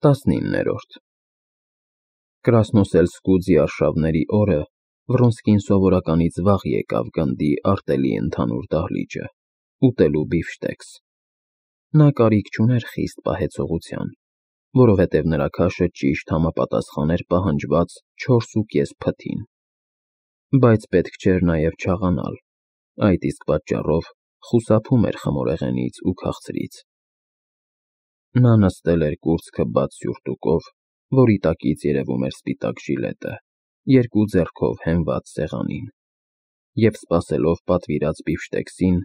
19-րդ Կրասնոսելսկու ձիարշավների օրը Վռոնսկին սովորականից վաղ եկավ գնդի արտելի ընդհանուր դահլիճը, ուտելու բիֆշտեքս։ Նա կարիք չուներ խիստ պահեցողության, որովհետև նրա քաշը ճիշտ համապատասխան էր պահանջված 4.5 փթին։ Բայց պետք չէր նաև չաղանալ, այդ իսկ պատճառով խուսափում էր խմորեղենից ու քաղցրից։ Նա նստել էր կուրծքը բաց սյուրտուկով, որի տակից երևում էր սպիտակ ժիլետը, երկու ձեռքով հենված սեղանին, և սպասելով պատվիրած բիֆշտեքսին,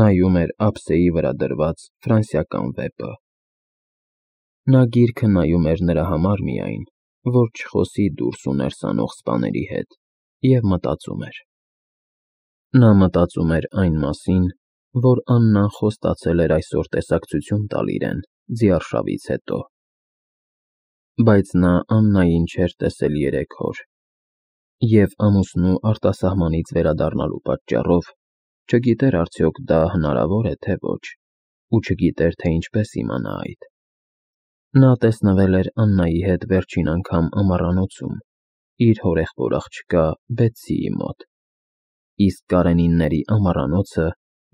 նայում էր ափսեի վրա դրված ֆրանսիական վեպը։ Նա գիրքը նայում էր նրա համար միայն, որ չխոսի դուրս ու ներս անող սպաների հետ, և մտածում էր։ Նա մտածում էր այն մասին, որ Աննան խոստացել էր այսօր տեսակցություն տալ իրեն ձիարշավից հետո։ Բայց նա Աննային չէր տեսել 3 օր, և ամուսնու արտասահմանից վերադառնալու պատճառով չգիտեր արդյոք դա հնարավոր է, թե ոչ, ու չգիտեր, թե ինչպես իմանա այդ։ Նա տեսնվել էր Աննայի հետ վերջին անգամ ամառանոցում, իր հորեղբոր աղջկա Բեթսիի մոտ, իսկ Կարենինների ամառանոցը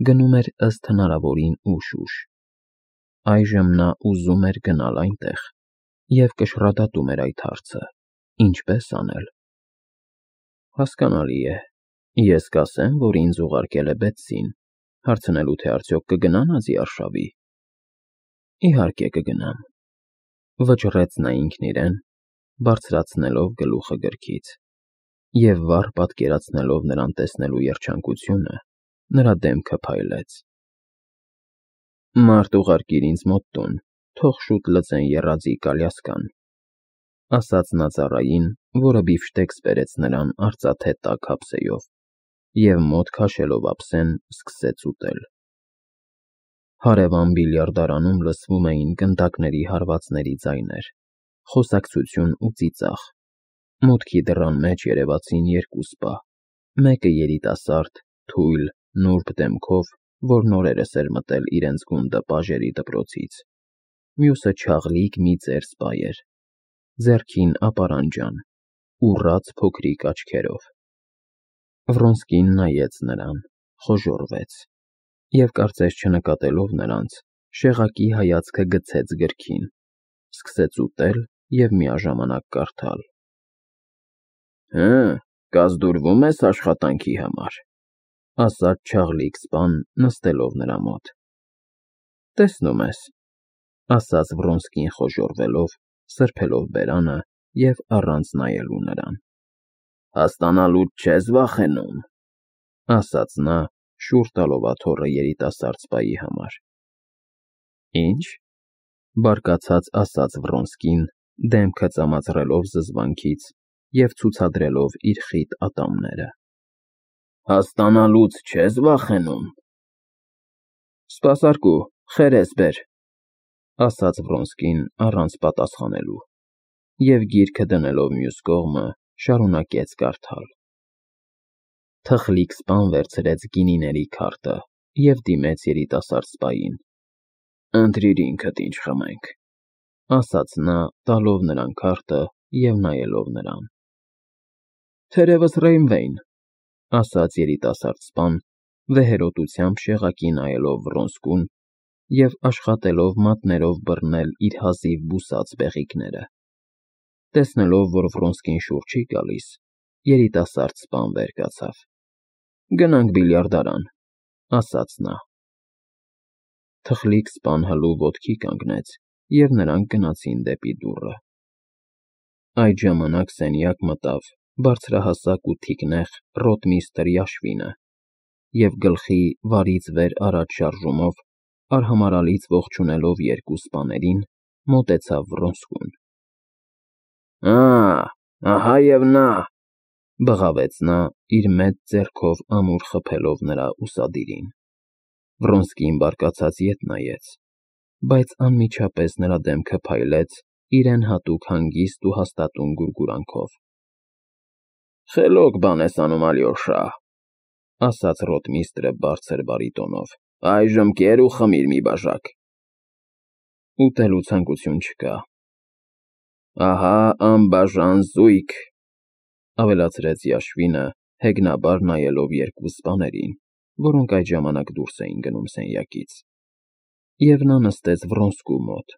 գնում էր ըստ հնարավորին ուշ։ Այժմ նա ուզում էր գնալ այնտեղ և կշռադատում էր այդ հարցը. ինչպես անել։ Հասկանալի է, ես կասեմ, որ ինձ ուղարկել է Բեթսին, հարցնելու, թե արդյոք կգնա նա ձիարշավի։ Իհարկե կգնամ, վճռեց նա ինքն իրեն, բարձրացնելով գլուխը գրքից, և վառ պատկերացնելով նրան տեսնելու երջանկությունը, նրա դեմքը փայլեց։ Մարդ ուղարկիր ինձ մոտ տուն, թող շուտ լցեն եռաձիգ ալյասկան, ասաց նա ծառային, որը բիֆշտեքս բերեց նրան արծաթե տաք ափսեով, և մոտ քաշելով ափսեն, սկսեց ուտել։ Հարևան բիլիարդարանում լսվում էին գնդակների հարվածների ձայներ, խոսակցություն ու ծիծաղ։ Մուտքի դռան մեջ երևացին 2 սպա, մեկը երիտասարդ, թույլ, նուրբ դեմքով, որ նորերս էր մտել իրենց գունդը պաժերի դպրոցից, մյուսը չաղլիկ մի ծեր սպա էր, ձեռքին ապարանջան, ուռած փոքրիկ աչքերով։ Վռոնսկին նայեց նրան, խոժոռվեց, և կարծես չնկատելով նրանց, շեղակի հայացքը գցեց գրքին, սկսեց ուտել և միաժամանակ կարդալ։ Հը, կազդուրվում ես աշխատանքի համար, ասաց չաղլիկ սպան, նստելով նրա մոտ։ Տեսնում ես, ասաց Վռոնսկին խոժոռվելով, սրբելով բերանը և առանց նայելու նրան։ Հասկանալուց չես վախենում, ասաց նա, շուռ տալով աթոռը երիտասարդ սպայի համար։ Ինչ, բարկացած ասաց Վռոնսկին, դեմքը ծամածրելով զզվանքից և ցուցադրելով իր խիտ ատամները։ Հասկանալուց չես վախենում։ Սպասարկու, խերես բեր, ասաց Վռոնսկին առանց պատասխանելու, և գիրքը դնելով մյուս կողմը, շարունակեց կարդալ։ Թխլիկ սպան վերցրեց գինիների քարտը և դիմեց երիտասարդ սպային։ Ընտրիր ինքդ ինչ խմենք, ասաց նա, տալով նրան քարտը և նայելով նրան։ Թերևս Ռեյնվեյն, ասաց երիտասարդ սպան, վեհերոտությամբ շեղակի նայելով Վռոնսկուն և աշխատելով մատներով բռնել իր հազիվ բուսած բեղիկները։ Տեսնելով, որ Վռոնսկին շուռ չի գալիս, երիտասարդ սպան վեր կացավ։ Գնանք բիլիարդարան, ասաց նա։ Թխլիկ սպան հլու ոտքի կանգնեց, և նրանք գնացին դեպի դուռը։ Այդ ժամանակ սենյակ մտավ բարձրահասակ ու թիկնեղ ռոտմիստրի Յաշվինը և գլխի վարից վեր առաջ շարժումով, արհամարհալից ողջունելով 2 սպաներին, մոտեցավ Վռոնսկուն։ Ահա և նա, բղավեց նա, իր մեծ ձեռքով ամուր խփելով նրա ուսադիրին։ Վռոնսկին բարկացած ետ նայեց, բայց անմիջապես նրա դեմքը փայլեց իրեն հատուկ հանգիստ ու հաստատուն գուրգուրանքով։ Խելոք բան ես անում, Ալյոշա, ասաց ռոտմիստրը բարձր բարիտոնով։ Այժմ կեր ու խմիր մի բաժակ։ Ուտելու ցանկություն չկա, Ահա անբաժան զույգ, ավելացրեց Յաշվինը, հեգնաբար նայելով երկու սպաներին, որոնք այդ ժամանակ դուրս էին գնում սենյակից։ Եվ նա նստեց Վռոնսկու մոտ,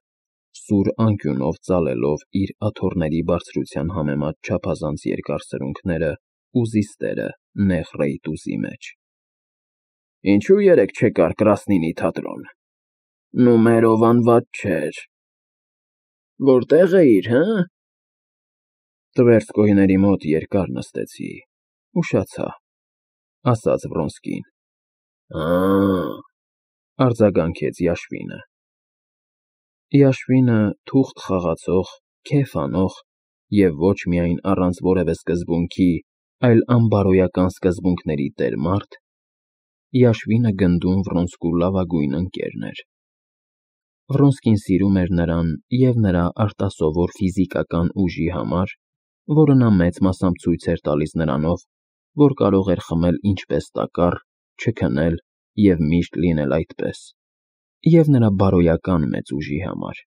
սուր անկյունով ծալելով իր աթոռների բարձրության համեմատ չափազանց երկար սրունքները ու զիստերը նեղ ռեյտուզի մեջ։ Ինչու երեկ չեկար Կրասնինի թատրոն։ Նումերով անված չէր։ Որտեղ էիր, հը։ Տվերսկոյների մոտ երկար նստեցի, ուշացա, ասաց Վռոնսկին։ Արձագանքեց Յաշվինը։ Յաշվինը թուղթ խաղացող, քեֆ անող և ոչ միայն առանց որևէ սկզբունքի, այլ անբարոյական սկզբունքների տեր մարդ, Յաշվինը գնդում Վռոնսկու լավագույն ընկերն էր։ Վռոնսկին սիրում էր նրան և նրա արտասովոր ֆիզիկական ուժի համար, որը նա մեծ մասամբ ցույց էր տալիս նրանով, որ կարող էր խմել ինչպես տակառ, չքնել և միշտ լինել այդպես, և նրա բարոյական մեծ ուժի համար,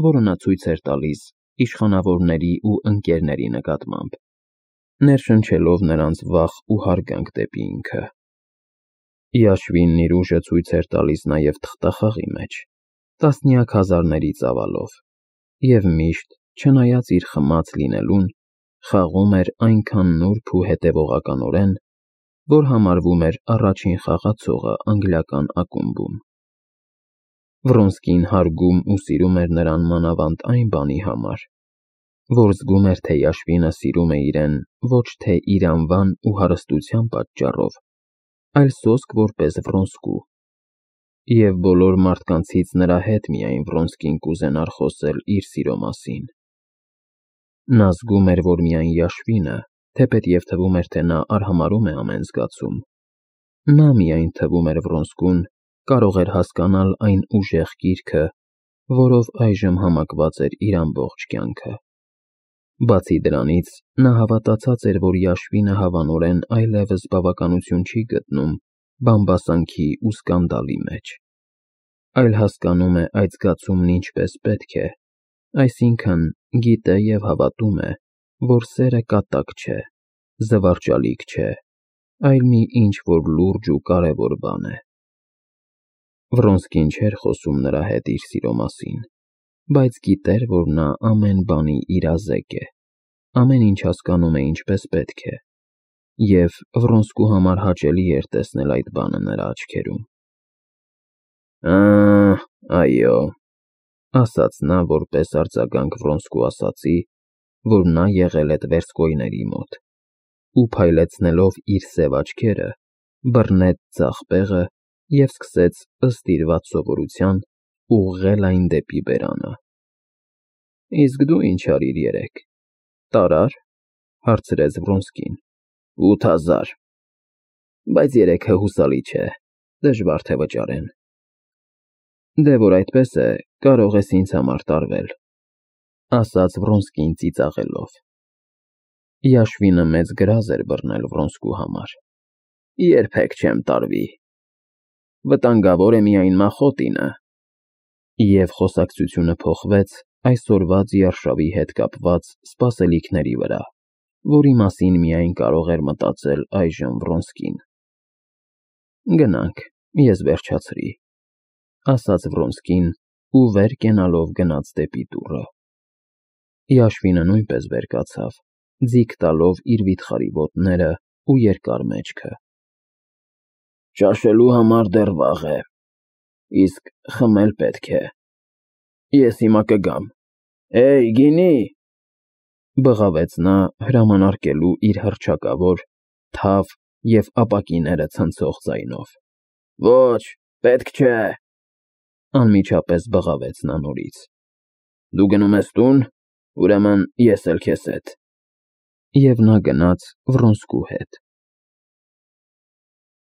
որը նա ցույց էր տալիս իշխանավորների ու ընկերների նկատմամբ, ներշնչելով նրանց վախ ու հարգանք դեպի ինքը։ Յաշվինն իր ուժը ցույց էր տալիս նաև թղթախաղի մեջ, տասնյակ հազարների ծավալով, և միշտ, չնայած իր խմած լինելուն, խաղում էր այնքան նուրբ ու հետևողականորեն, որ համարվում էր առաջին խաղացողը անգլիական ակումբում։ Վռոնսկին հարգում ու սիրում էր նրան մանավանդ այն բանի համար, որ զգում էր, թե Յաշվինը սիրում է իրեն ոչ թե իր անվան ու հարստության պատճառով, այլ սոսկ որպես Վռոնսկու, և բոլոր մարդկանցից նրա հետ միայն Վռոնսկին կուզենար խոսել իր սիրո մասին։ Նա զգում էր, որ միայն Յաշվինը, թեպետև թվում էր, թե նա արհամարհում է ամեն զգացում, նա միայն թվում էր Վռոնսկուն, կարող էր հասկանալ այն ուժեղ գիրքը, որով այժմ համակված էր իր ամբողջ կյանքը։ Բացի դրանից, նա հավատացած էր, որ Յաշվինը հավանորեն այլևս բավականություն չի գտնում բամբասանքի ու սկանդալի մեջ, այլ հասկանում է այդ զգացումն ինչպես պետք է, այսինքն՝ գիտե և հավատում է, որ սերը կատակ չէ, զվարճալիք չէ, այլ մի ինչ-որ լուրջ ու կարևոր բան է։ Վռոնսկին չէր խոսում նրա հետ իր սիրո մասին, բայց գիտեր, որ նա ամեն բանի իրազեկ է, ամեն ինչ հասկանում է ինչպես պետք է, և Վռոնսկու համար հաճելի էր տեսնել այդ բանը նրա աչքերում։ Այո, ասաց նա որպես արձագանք Վռոնսկու ասածի, որ նա եղել է տվերսկոյների մոտ, ու փայլեցնելով իր սև աչքերը, բռնեց ձախ բեղը և սկսեց, ըստ իր վատ սովորության, ուղղել այն դեպի բերանը։ Իսկ դու ինչ արիր երեկ, տարա՞ր, հարցրեց Վռոնսկին։ 8000, բայց երեքը հուսալի չէ, դժվար թե վճարեն։ Դե որ այդպես է, կարող ես ինձ համար տարվել, ասաց Վռոնսկին ծիծաղելով։ Յաշվինը մեծ գրազ էր բռնել Վռոնսկու համար։ Երբեք չեմ տարվի։ Վտանգավոր է միայն Մախոտինը։ Եվ խոսակցությունը փոխվեց այսօրվա ձիարշավի հետ կապված սպասելիքների վրա, որի մասին միայն կարող էր մտածել այժմ Վռոնսկին։ Գնանք, ես վերջացրի, ասաց Վռոնսկին ու վեր կենալով գնաց դեպի դուռը։ Յաշվինը նույնպես վեր կացավ, ձիգ տալով իր վիթխարի ոտները ու երկար մեջքը։ Ճաշելու համար դեռ վաղ է, իսկ խմել պետք է։ Ես հիմա կգամ։ Գինի, բղավեց նա հրամանարկելու իր հռչակավոր, թավ և ապակիները ցնցող ձայնով։ Ոչ, պետք չէ, անմիջապես բղավեց նա նորից։ Դու գնում ես տուն, ուրեմն ես էլ քեզ հետ։ Եվ նա գնաց Վռոնսկու հետ։